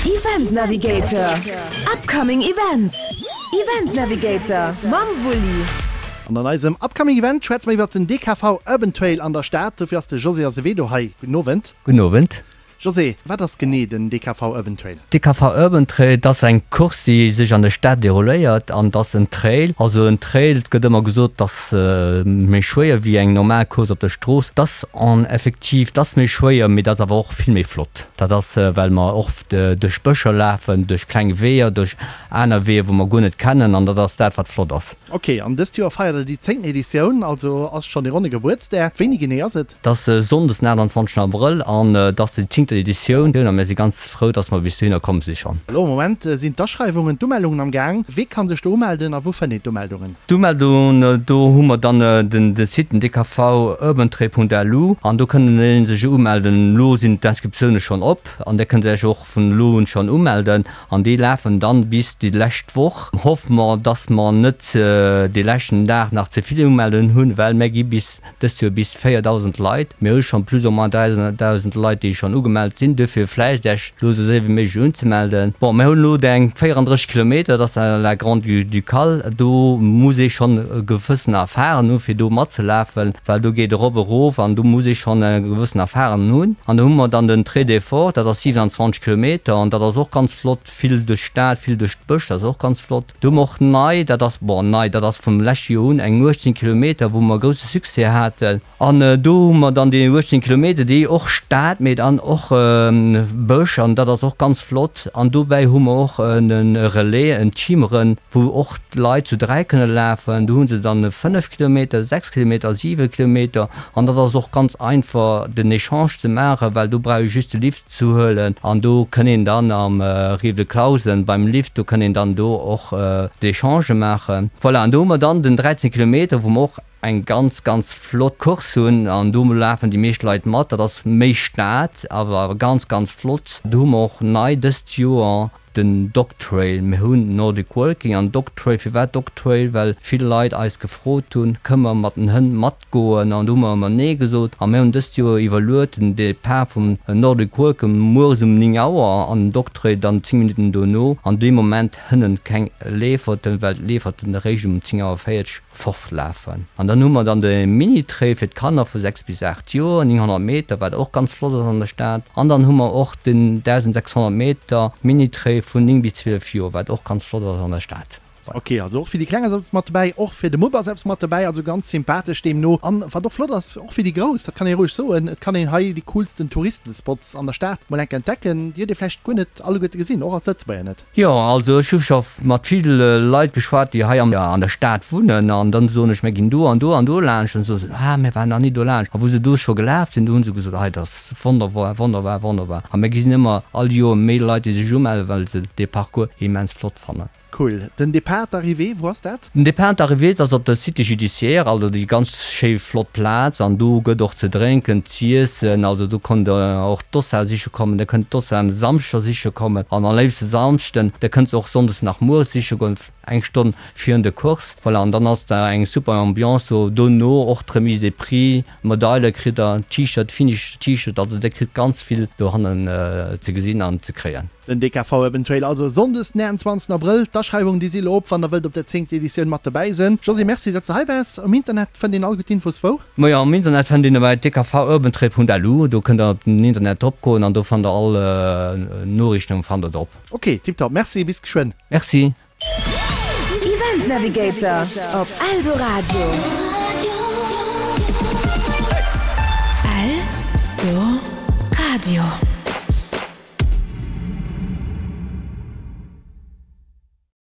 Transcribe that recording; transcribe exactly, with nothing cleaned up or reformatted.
Event Navigator, Upcoming Events, Event Navigator mam Wulli. An an eisem Upcoming Event schwätze mer iwwert den D K V Urban Trail an der Stad. Dofir ass de José Azevedo hei. Gudden Owend. Gudden Owend. José, wat ass genee den D K V Urban Trail? D K V Urban Trail, dat ass eng Course, déi sech an der Stad derouléiert an dat ass en Trail. Also en Trail, et gëtt ëmmer gesot, dat ass méi schwéier wéi eng normal Course op der Strooss. Dat ass en effektiv, dat ass méi schwéier, mee dat ass awer och vill méi flott. Dat ass, well mer oft duerch Bëscher lafen, duerch kleng Weeër, duerch aner Weeër, wou mer guer net kennen an dat ass dat, wat flott ass. Ok, an dëst Joer feiert der déi zéngten Editioun, also ass schonn e ronne Gebuertsdag. Wéini genee ass et? Dat ass sonndes den achtundzwanzegsten Abrëll an dat ass déi zéngten Editioun a mir si ganz frou, dass mer bis dohinner komm si schonn. Elo am Moment sinn d'Aschreiwungen, d'Umeldungen am Gaang. Wee kann sech do umelden a wou fënnt een d'Umeldungen? D'Umeldungen, do hu mer dann den de Site, den d k v urbantrail punkt l u an do kënnen ee sech umelden. Elo sinn d'Inscriptioune schonn op an där kënnt Dir Iech och vun elo un schonn umelden an déi lafen dann bis déi lescht Woch. Hoffe mer, dass mer net dee leschten Dag nach ze vill Umeldungen hunn, well mir gi bis dëst Joer bis véierdausend Leit. Mir hu schonn plus ou moins dräidausend Leit, déi schonn ugemellt sinn. Duerfir vläicht Iech elo esou séier wéi méiglech unzemelden. Bon, mir hunn elo eng véierandrësseg Kilometer, dat ass la Grande-Ducale. Do muss ee schonn e gewëssen Erfahren hunn, fir do matzelafen, well do geet erop, erof an do muss ee schonn e gewëssen Erfahren hunn. An do hu mer dann den Trail des Forts, dat ass siewenundzwanzeg Kilometer an dat ass och ganz flott, vill duerch d'Stad, vill duerch d'Bësch, dat ass och ganz flott. Do hu mer och nei, dat ass, bon, nei, dat ass vum leschte Joer un, eng uechtzehn Kilometer, wou mer grousse Succès haten. An do hu mer dann déi uechtzehn Kilometer, déi och Stad, mee dann och Bësch, an dat ass och ganz flott. An dobäi hu mer och e Relais, en Teamrun, wou och d'Leit zu dräi kënne lafen. Do hu se dann fënnef Kilometer, sechs Kilometer, siwe Kilometer. An dat ass och ganz einfach, den Echange ze maachen, well do brauch ee just de Lift ze huelen. An do kënn een dann am Rive de Clausen beim Lift, do kënn een dann do och d'Echangë maachen. Voilà, an do hu mer dann den dräizehn Kilometer, wou mer och eng ganz, ganz flott Course hunn an do lafen déi meescht Leit mat. Dat ass méi Stad, awer ganz, ganz flott. Do hu mer och nei dëst Joer den Dog Trail. Mir hunn Nordic Walking an Dog Trail. Firwat Dog Trail? Well vill Leit eis gefrot hunn, kënne mer mat den Hënn matgoen? An do hu mer ëmmer nee gesot. A mir hunn dëst Joer iwwerluet, den Depart vum Nordic Walking mueres um néng Auer an den Dog Trail dann zéng Minutten dono. An dee Moment hënnen keng Leeferten, well d'Leeferten eréischt um zéng Auer véierzeg fortlafen. An dann hu mer dann de Mini-Trail fir d'Kanner vu sechs bis aacht Joer, nénghonnert Meter, wat och ganz flott ass an der Stad. An dann hu mer och den dausendsechshonnert Meter Mini-Trail vun néng bis zwielef Joer, wat och ganz flott ass an der Stad. Ok, also och fir déi Kleng ass eppes mat dobäi, och fir de Mupp ass eppes mat dobäi, also ganz sympathesch deemno. An wat och flott ass, och fir déi Grouss, dat kann ee roueg soen, et kann een hei déi coolsten Touristenspots an der Stad mol enk entdecken, déi huet ee vläicht guer net alleguerte gesinn, och als Lëtzebuerger net. Jo, also ech hu scho mat vill Leit geschwat, déi hei an der Stad wunnen, an dann soen ech, mir ginn do an do an do laanscht, an soe se, ah, mir waren nach ni do laanscht. A wou se do scho gelaf sinn, do hu se gesot, hei, dat ass wonnerbar, wonnerbar, wonnerbar. A mir gesinn ëmmer all Joer méi Leit, déi sech umellen, well se dee Parcours immens flott fannen. Cool. Den Départ, d'Arrivée, wou ass dat? Den Départ, d'Arrivée, dat ass op der Cité judiciaire, also déi ganz schéi flott Plaz. An do gëtt och ze drénken, z'iessen. Also do kënnt Der och d'Dossa siche kommen, Der kënnt d'Dossa um Samschder siche kommen an am léifste Samschden. Der kënnt se och sonndes nach mueres siche goen, eng Stonn virun der Course. Voilà, an dann ass da eng super Ambiance do. Dono och d'Remise des prix, Medaile kritt Der, T-Shirt, Finish T-Shirt, also Der kritt ganz vill dohannen ze gesinn an ze kréien. Den D K V Urban Trail also Sonndes den achtenzwanzegsten Abrëll. D'Aschreiwungen déi si elo op, wann der wëllt op der zéngter Editioun mat dobäi sënn. Josy, merci datt s de hei waars. Um Internet fënnt een all gutt Infos wou? Majo, am Internet fënnt een bei d k v urban trail punkt l u. Do kënnt der op den Internet drop goen an do fannt der all Noriichten fannt der drop. Ok, tiptop, merci, bis geschwënn. Merci. Event Navigator op Eldoradio. Eldoradio.